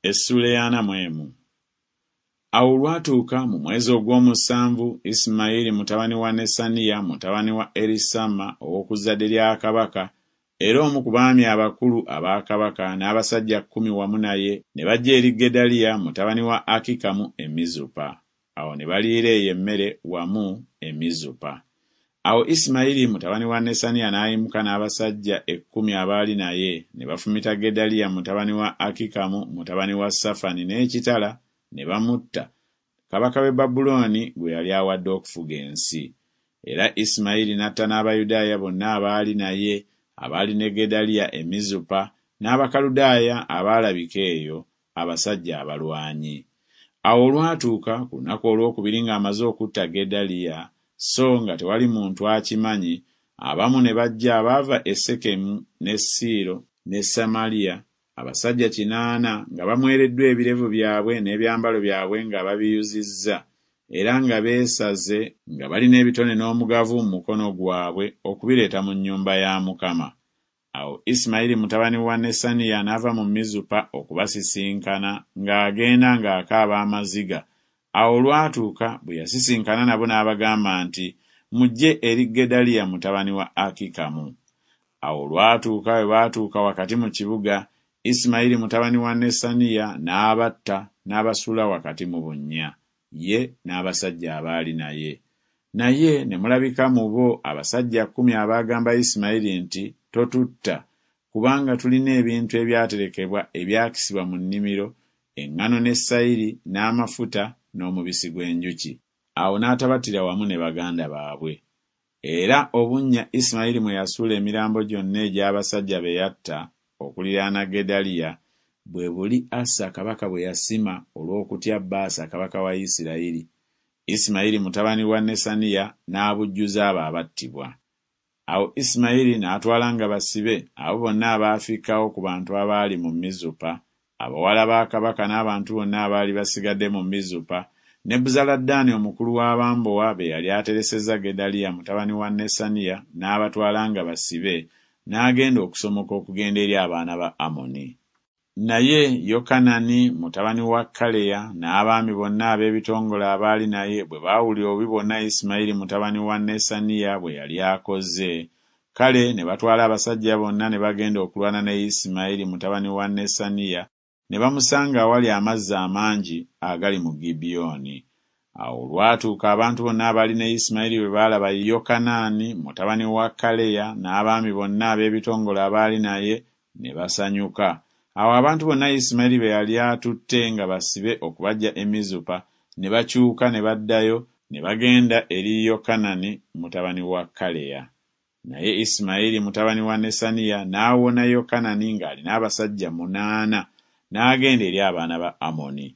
Essuula ey'ana mu emu. Awo olwatuuka mu mwezi ogw'omusanvu, Isimayiri mutabani wa Nesaniya mutabani wa Erisama ow'oku zzadde lya kabaka, era omu ku baami abakulu aba kabaka n'abasajja kkumi wamu naye ne bajja eri Gedaliya mutabani wa Akikamu e Mizupa. Awo ne baliira eyo emmere wamu e Mizupa. Awo Isimayiri mutabani wa Nesaniya n'ayimuka n'abasajja ekkumi abaali naye, ne bafumita Gedaliya mutabani wa Akikamu mutabani wa Safani n'ekitala ne bamutta, kabaka w'e Babulooni gwe yali awadde okufuga ensi. Era Isimayiri n'atta n'Abayudaaya bonna abaali naye, abaali ne Gedaliya e Mizupa, n'Abakaludaaya abaalabika eyo, abasajja abalwanyi. Awo olwatuuka ku lunaku olwokubiri ng'amaze okutta Gedaliya, so nga tewali muntu akimanyi, abamu ne bajja abaava e Sekemu ne Siiro ne Samaliya, abasajja kinaana nga bamwereddwa ebirevu byabwe n'ebyambalo byabwe nga babiyuzizza, era nga beesaze, nga balina ebitone n'omugavu mu mukono gwabwe okubireeta mu nnyumba ya Mukama. Awo Isimayiri mutabani wa Nesaniya n'ava mu Mizupa okubasisinkana ng'agenda ng'akaaba amaziga. Awo olwatuuka bwe yasisinkana nabo n'abagamba nti, Mujje eri Gedaliya mutabani wa Akikamu. Awo olwatuuka bwe baatuuka wakati mu kibuga, Isimayiri mutabani wa Nesaniya n'abatta n'abasuula wakati mu bunnya, ye n'abasajja abaali naye. Naye ne mulabika mu bo abasajja kkumi abaagamba Isimayiri nti, Totutta, kubanga tulina ebintu ebyaterekebwa ebyakisibwa mu nnimiro, eŋŋano ne sayiri n'amafuta n'omubisi gw'enjuki. Awo n'atabattira wamu ne baganda baabwe. Era obunnya Isimayiri mwe yasuula emirambo gyonna egy'abasajja be yatta okuliraana Gedaliya, bwe buli Asa kabaka bwe yasima olw'okutya Baasa kabaka wa Isirayiri, Isimayiri mutabani wa Nesaniya n'abujjuza abo abattibwa. Awo Isimayiri n'atwala nga basibe abo bonna abaafikkawo ku bantu abaali mu Mizupa, abawala ba kabaka n'abantu bonna abaali basigadde mu Mizupa, Nebuzaladaani omukulu w'abambowa be yali ateresezza Gedaliya mutabani wa Nesaniya n'abatwala nga basibe, n'agenda okusomoka okugenda eri abaana ba Amoni. Naye Yokanani mutabani wa Kaleya n'abaami bonna ab'ebitongole abaali naye bwe baawulira obubi bwonna Isimayiri mutabani wa Nesaniya bwe yali akoze, kale ne batwala abasajja bonna ne bagenda okulwana ne Isimayiri mutabani wa Nesaniya ne bamusanga awali amazzi amangi agali mu Gibyoni. Awo olwatuuka abantu bonna abaali ne Isimayiri bwe baalaba Yokanaani mutabani wa Kaleya n'abaami bonna ab'ebitongole abaali naye, ne basanyuka. Awo abantu bonna Isimayiri be yali atutte nga basibe okubaggya e Mizupa ne bakyuka ne baddayo ne bagenda eri Yokanani mutabani wa Kaleya. Naye Isimayiri mutabani wa Nesaniya n'awona Yokanani ng'alina abasajja munaana n'agenda eri abaana ba Amoni.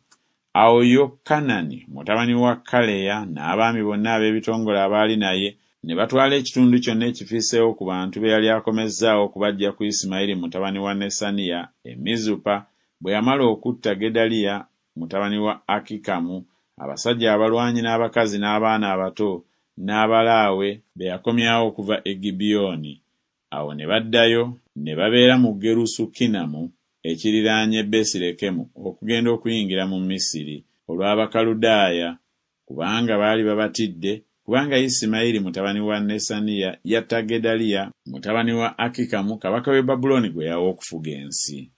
Awo Yokanani mutabani wa Kaleya n'abaami bonna ab'ebitongole abaali naye ne batwala ekitundu kyonna ekifisseewo ku bantu be yali akomezzaawo okubaggya ku Isimayiri mutabani wa Nesaniya e Mizupa bwe yamala okutta Gedaliya mutabani wa Akikamu, abasajja abalwanyi n'abakazi n'abaana abato n'abalaawe be yakomyawo okuva e Gibyoni. Awo ne baddayo ne babeera mu Gerusukinamu ekiriraanye Besirekemu okugenda okuyingira mu Misiri, olw'Abakaludaaya, kubanga baali babatidde, kubanga Isimayiri mutabani wa Nesaniya yatta Gedaliya mutabani wa Akikamu kabaka w'e Babulooni gwe yawa okufuga ensi.